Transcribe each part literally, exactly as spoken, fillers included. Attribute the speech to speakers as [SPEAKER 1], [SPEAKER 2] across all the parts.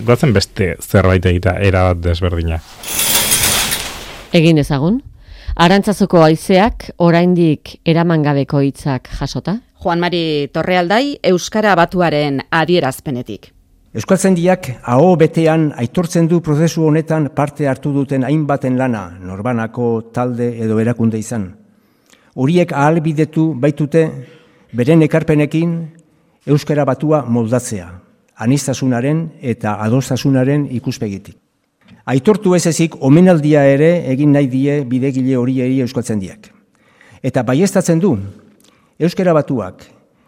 [SPEAKER 1] goazen beste zerbait egitea erabat desberdina.
[SPEAKER 2] Egin ezagun, Arantzazuko haizeak oraindik eramangabeko hitzak jasota?
[SPEAKER 3] Juan Mari Torrealdai, Euskara Batuaren adierazpenetik.
[SPEAKER 4] Euskaltzaindiak aho betean aitortzen du prozesu honetan parte hartu duten hainbaten lana, norbanako talde edo erakunde izan. Horiek ahalbidetu baitute beren ekarpenekin Euskara Batua moldatzea, aniztasunaren eta adostasunaren ikuspegitik. Aitortu ez ezik omenaldia ere egin nahi die bidegile horiei euskaltzaindiak. Eta baieztatzen du, Euskara Batuak,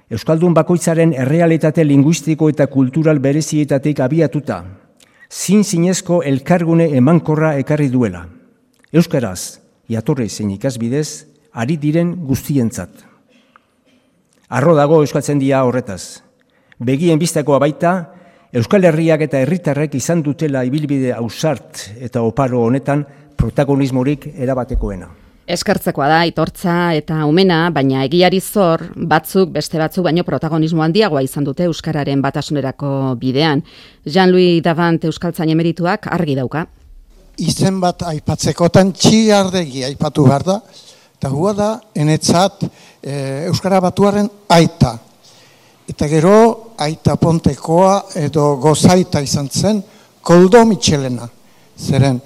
[SPEAKER 4] Euskaldun bakoitzaren errealitate linguistiko eta kultural berezietatik abiatuta, zin zinezko elkargune emankorra ekarri duela. Euskaraz, jatorri zein ikasbidez, ari diren guztientzat. Arro dago euskaltzaindia horretaz. Begien bistakoa baita, Euskal Herriak eta herritarrek izan dutela ibilbide ausart eta oparo honetan protagonismorik erabatekoena.
[SPEAKER 3] Eskertzekoa da, aitortza eta umena, baina egiari zor, batzuk beste batzuk baino protagonismo handiagoa izan dute Euskararen batasunerako bidean. Jean-Louis Davant Euskaltzain emerituak argi dauka.
[SPEAKER 5] Izen bat aipatzekotan Txiardegi aipatu behar da, eta hua da, enetzat e, Euskara Batuaren aita. Eta gero, aita pontekoa edo gozaita izan zen, Koldo Mitxelena. Zeren,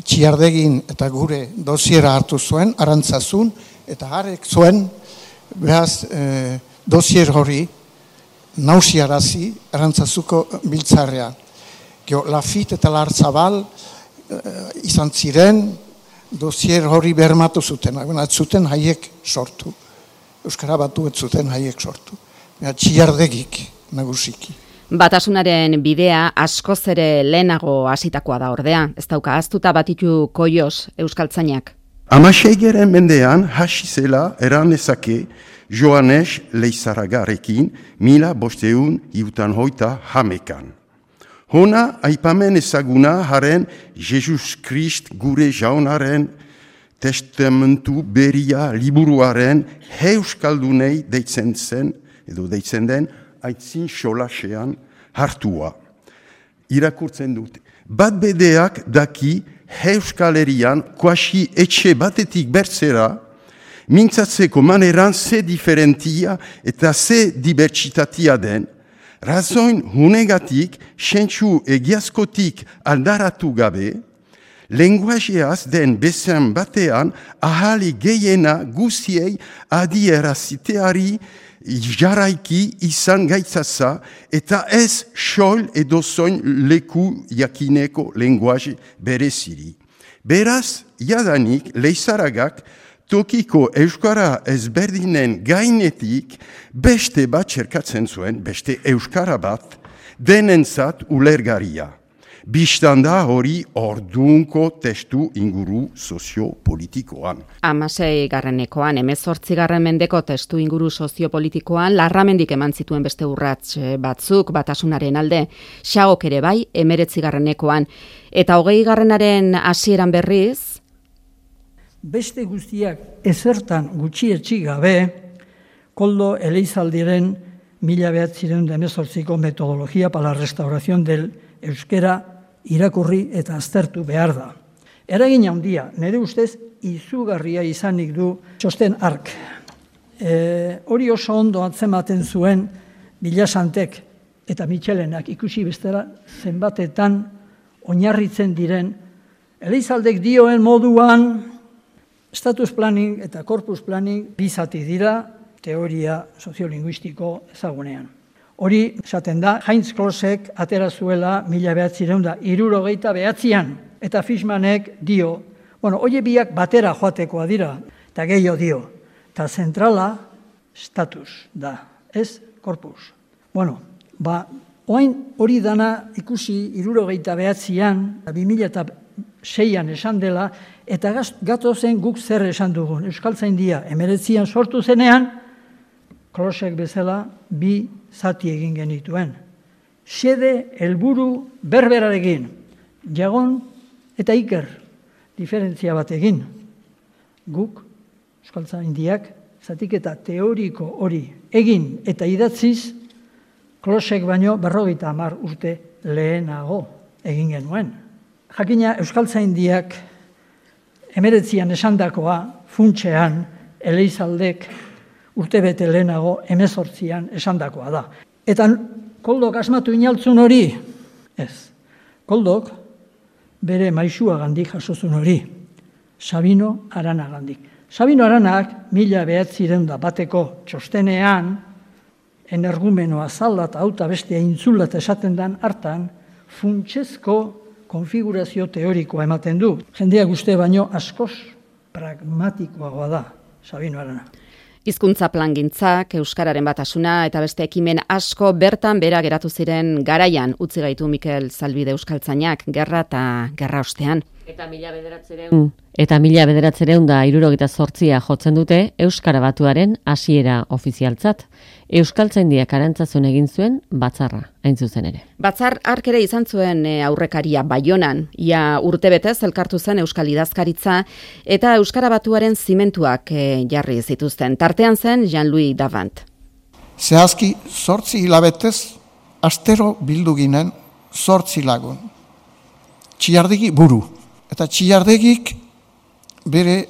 [SPEAKER 5] Txiardegin eta gure dosiera hartu zuen, Arantzazun, eta harek zuen, behaz, e, dosier hori, nausiarazi, Arantzazuko biltzarrean. Gero, Lafit eta Lartzabal e, izan ziren, dosier hori bermatu zuten, ez zuten haiek sortu. Euskara Batu ez zuten haiek sortu. Txiardegik nagusiki.
[SPEAKER 3] Batasunaren bidea askoz ere lehenago hasitakoa da ordea. Ez dauka ahaztuta Batitu Koios Euskaltzainak.
[SPEAKER 6] Hamaseigaren mendean hasi zela eran ezake Joanes Leizarragarekin mila bosteun iutan hoita hamekan. Hona aipamen ezaguna haren Jesus Krist gure jaunaren testamentu beria liburuaren euskaldunei deitzen zen edo deitzen den, aitzin solasean hartua. Irakurtzen dute. Bat bedeak daki Euskal Herrian kuasi etxe batetik bertzera, mintzatzeko maneran ze diferentia eta ze dibertsitatia den, razoin hunegatik, sentsu egiazkotik aldaratu gabe, lenguajeaz den bezean batean ahali gehiena guziei adieraziteari jaraiki izan gaitzaza eta ez sol edo zoin leku jakineko lenguaje bereziri. Beraz, jadanik Leizarragak tokiko euskara ezberdinen gainetik beste bat txerkatzen zuen, beste euskara bat denentzat ulergaria. Bistanda hori ordunko testu inguru soziopolitikoan.
[SPEAKER 3] Hamasei garrenekoan, hemezortzi garren mendeko testu inguru soziopolitikoan, Larramendik eman zituen beste urrats batzuk batasunaren alde, Xagok ere bai, hemeretzi garrenekoan, eta hogei garrenaren hasieran berriz,
[SPEAKER 7] beste guztiak ezertan gutxietsi gabe, Koldo Eleizaldiren mila behatzireun da hemezortziko metodologia para la restauración del euskera irakurri eta aztertu behar da. Eragin handia, nire ustez, izugarria izanik du txosten ark. E, hori oso ondo atzematen zuen Bilasantek eta Mitxelenak ikusi bestera zenbatetan oinarritzen diren. Eleizaldek dioen moduan, status planning eta corpus planning bizati dira teoria soziolinguistiko ezagunean. Hori, esaten da, Heinz Klosek atera zuela mila behatzireun da hirurogeita behatzian, eta Fishmanek dio, bueno, hori biak batera joatekoa dira, eta gehiago dio, eta zentrala status da, ez corpus. Bueno, ba, oain hori dana ikusi hirurogeita behatzian, bi mila seian esan dela, eta gatozen guk zer esan dugun. Euskaltzaindia hemeretzian sortu zenean, Klosek bezala bi zati egin genituen. Xede helburu berberarekin, Jagon eta Iker diferentzia bat egin. Guk, Euskaltzaindiak, zatiketa teoriko hori egin eta idatziz, Klosek baino berrogeita hamar urte lehenago egin genuen. Jakina Euskaltzaindiak emeretzian esandakoa funtsean Eleizaldek urtebete lehenago hemezortzian esandakoa da. Eta Koldok asmatu inaltzun hori? Ez. Koldok bere maisuagandik jasozun hori. Sabino Aranagandik. Sabino Aranak mila behatzireun da bateko txostenean energumenoa zaldat auta bestea intzulat esaten dan hartan funtsezko konfigurazio teorikoa ematen du. Jendeak uste baino askoz pragmatikoagoa da Sabino Arana.
[SPEAKER 3] Hizkuntza plangintzak, euskararen batasuna eta beste ekimen asko bertan bera geratu ziren garaian utzi gaitu Mikel Zalbide euskaltzainak gerra eta gerra ostean.
[SPEAKER 2] Eta mila bederatzireun eta mila bederatzireun da hirurogeita zortzia jotzen dute Euskara Batuaren hasiera ofizialtzat. Euskaltzaindiak Arantzazun egin zuen batzarra, hain zuzen ere.
[SPEAKER 3] Batzar hark ere izan zuen aurrekaria Baionan, ia urtebetez elkartu zen Euskal Idazkaritza eta Euskara Batuaren zimentuak jarri zituzten. Tartean zen Jean-Louis Davant.
[SPEAKER 5] Zehazki zortzi hilabetez astero bildu ginen zortzi lagun. Txilardegi buru. Eta Txilardegik bere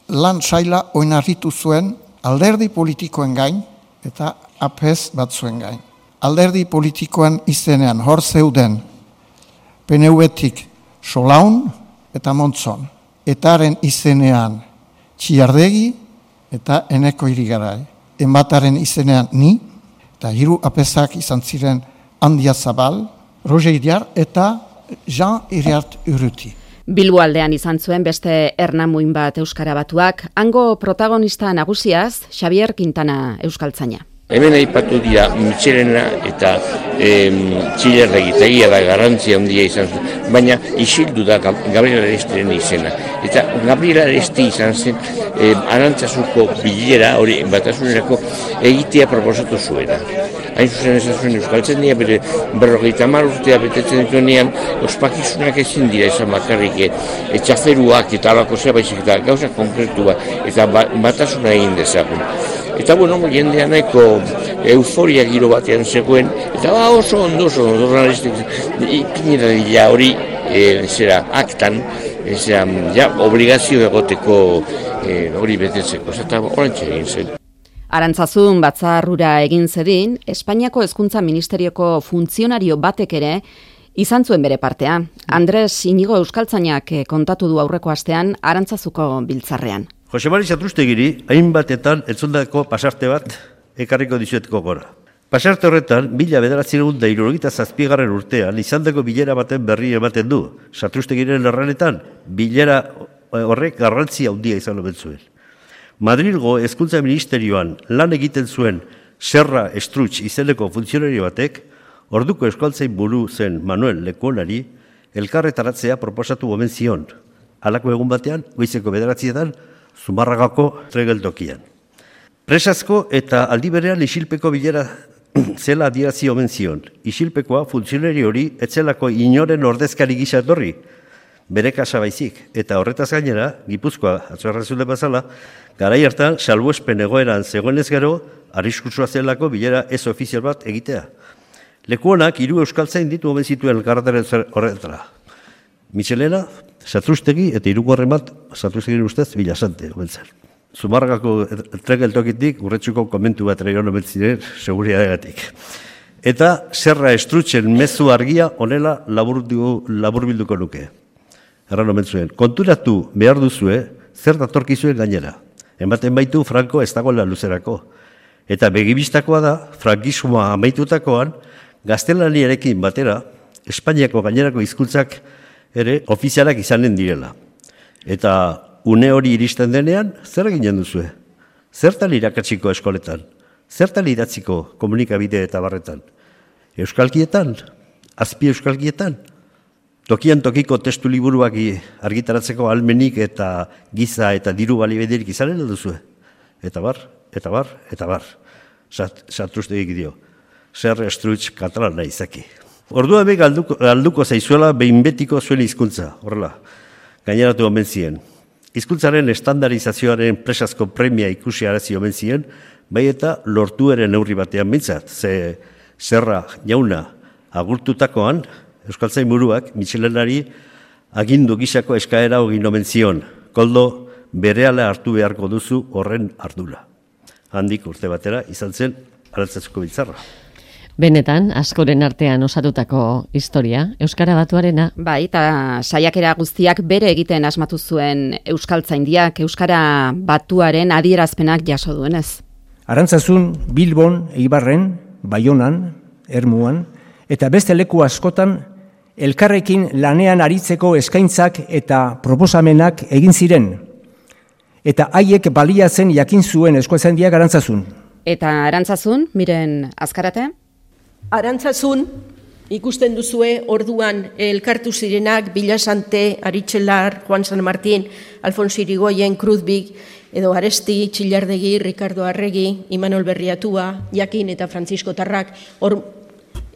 [SPEAKER 5] lan saila oinarritu zuen alderdi politikoen gain eta apez batzuen gain. Alderdi politikoen izenean hor zeuden P N V-tik Solaun eta Montzon. Etaren izenean Txilardegi eta Eneko Irigarai. Enbataren izenean ni eta hiru apezak izan ziren Handia Zabal, Roger Iriar eta Jean Iriart Urruti.
[SPEAKER 3] Bilbo aldean izan zuen beste ernamuin bat Euskara Batuak, hango protagonista nagusiaz Xavier Quintana euskaltzaina.
[SPEAKER 8] Hemen aipatu dira Michelena eta Txilardegi, eta egia da garrantzia handia izan zen, baina isildu da Gabriel Arestiren izena. Eta Gabriel Aresti izan zen eh, Arantzazuko bilera, hori batasunerako egitea proposatu zuena. Hain zuzen esan zuen euskaltzaindia bere berrogeita hamar urtea betetzen dituenean, ospakizunak ezin dira izan bakarrik etxaferuak eta alako zea baizik eta gauza konkretua eta batasuna egin dezagun. Eta bueno, jendea nahiko euforia giro batean zegoen, eta ba, oso ondo, oso ondo, ipinera dira hori, e, zera, aktan, e, zera, ja, obligazio egoteko e, hori betetzeko, eta horrentxe egin zen.
[SPEAKER 3] Arantzazun batzarrura egin zedin, Espainiako Hezkuntza Ministerioko funtzionario batek ere izan zuen bere partea. Andres Inigo euskaltzainak kontatu du aurreko astean Arantzazuko biltzarrean.
[SPEAKER 9] Jose Mari Satrustegiri, hainbatetan entzundako pasarte bat ekarriko dizuetko gora. Pasarte horretan, mila bederatziehun eta hirurogeita zazpigarren urtean, izandako bilera baten berri ematen du. Satrustegiren erranetan, bilera horrek garrantzia handia izan omen zuen. Madrilgo Hezkuntza Ministerioan lan egiten zuen Serra Estrutx izeneko funtzionario batek, orduko euskaltzain buru zen Manuel Lekuonari, elkarretaratzea proposatu omen zion. Halako egun batean, goizeko bederatzietan, Zumarragako tregeltokian. Presazko eta aldi berean isilpeko bilera zela adierazi omen zion. Isilpekoa funtzionari hori etzelako inoren ordezkari gisa etorri, bere kasa baizik. Eta horretaz gainera, Gipuzkoa atzoarrazule bazala, garai hartan salbuespen egoeran zegoenez gero, arriskutsua zelako bilera ez ofizial bat egitea. Lekuonak hiru euskaltzain ditu omen zituen elkarretaren horretara. Michelena, Satrustegi eta hirugarren bat, Satrustegiren ustez, Bilasante, omentzen. Zumarragako tregeltokitik, urretsuko komentu bat ere omen ziren, seguriadegatik. Eta Serra Estrutxen mezu argia onela laburbilduko nuke. Erran omen zuen, konturatu behar duzue, zer datorkizuen gainera. Ematen baitu Franco ez dagoela luzerako. Eta begibistakoa da, frankismoa amaitutakoan, gaztelaniarekin batera, Espainiako gainerako hizkuntzak ere ofizialak izanen direla. Eta une hori iristen denean, zer eginen duzue? Zertan irakatsiko eskoletan? Zertan idatziko komunikabide eta barretan? Euskalkietan? Azpi euskalkietan? Tokian tokiko testu liburuak argitaratzeko almenik eta giza eta diru balibederik izanen duzue? Eta bar, eta bar, eta bar. Satrustegik dio. Serra Estrutx katalana izaki. Ordua be galduko, galduko zaizuela behin betiko zuen hizkuntza, horrela, gaineratu omen zien. Hizkuntzaren estandarizazioaren presazko premia ikusi arazi omen zien, bai eta lortu ere neurri batean bintzat, ze Zerra jauna agurtutakoan, Euskaltzain buruak Michelenari agindu gisako eskaera egin omen zion. Koldo, berehala hartu beharko duzu horren ardura. Handik urte batera izan zen Arantzazuko biltzarra.
[SPEAKER 2] Benetan, askoren artean osatutako historia, Euskara Batuarena.
[SPEAKER 3] Bai, eta saiakera guztiak bere egiten asmatu zuen Euskaltzaindiak, Euskara Batuaren adierazpenak jaso duenez.
[SPEAKER 4] Arantzazun, Bilbon, Eibarren, Baionan, Ermuan, eta beste leku askotan, elkarrekin lanean aritzeko eskaintzak eta proposamenak egin ziren. Eta haiek baliatzen jakin zuen Euskaltzaindiak Arantzazun.
[SPEAKER 3] Eta Arantzazun, miren azkarate?
[SPEAKER 10] Arantzazun, ikusten duzue orduan elkartu zirenak Bilasante, Aritxelar, Juan San Martín, Alfonso Irigoyen, Kruzbik, edo Aresti, Txillardegi, Ricardo Arregi, Imanol Berriatua, Jakin eta Francisco Tarrak, hor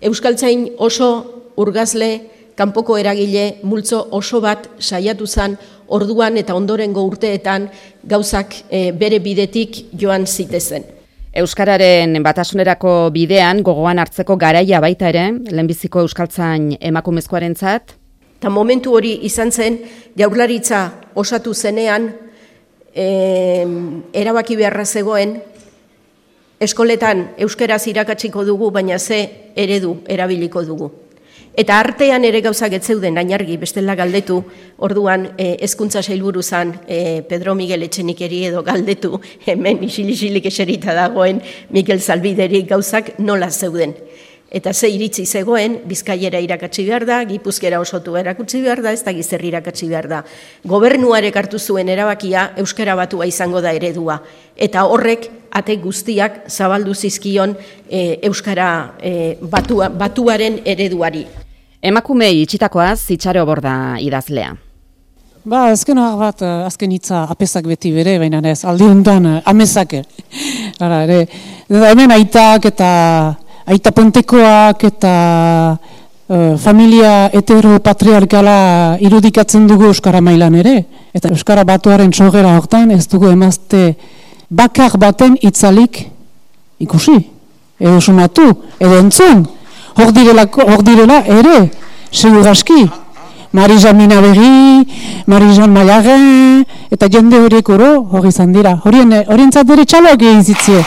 [SPEAKER 10] Euskaltzain oso urgazle, kanpoko eragile, multzo oso bat saiatu zen orduan eta ondorengo urteetan gauzak e, bere bidetik joan zitezen.
[SPEAKER 3] Euskararen batasunerako bidean gogoan hartzeko garaia baita ere, lehenbiziko Euskaltzain emakumezkoarentzat.
[SPEAKER 10] Ta momentu hori izan zen, Jaurlaritza osatu zenean, e, erabaki beharra zegoen, eskoletan euskaraz irakatsiko dugu, baina ze eredu erabiliko dugu. Eta artean ere gauzak ez zeuden ainargi bestela galdetu, orduan e, hezkuntza sailburu zan e, Pedro Miguel Etxenikeri edo galdetu, hemen isil-isilik eserita dagoen Mikel Zalbideri gauzak nola zeuden. Eta ze iritzi zegoen, Bizkaiera irakatsi behar da, Gipuzkera osotu erakutsi behar da, ez da Gizerri irakatsi behar da. Gobernuarek hartu zuen erabakia Euskara Batua izango da eredua. Eta horrek ate guztiak zabaldu zizkion e, Euskara e, batua, Batuaren ereduari.
[SPEAKER 3] Emakume itxitakoaz, Itxaro Borda idazlea.
[SPEAKER 11] Ba, azken bat, azken hitza apezak beti bere, baina ez, aldi hontan amezake. Hala, ere, hemen aitak eta aita pontekoak eta uh, familia heteropatriarkala irudikatzen dugu Euskara mailan ere. Eta Euskara Batuaren sogera hortan ez dugu emazte bakar baten itzalik ikusi. Edo sumatu, edo entzun. Hor direla ere, segurazki. Marijan Minabegi, Marijan Maiagen, eta jende horiek oro hori izan dira. Horien, horientzat ere txaloak egin zitzie.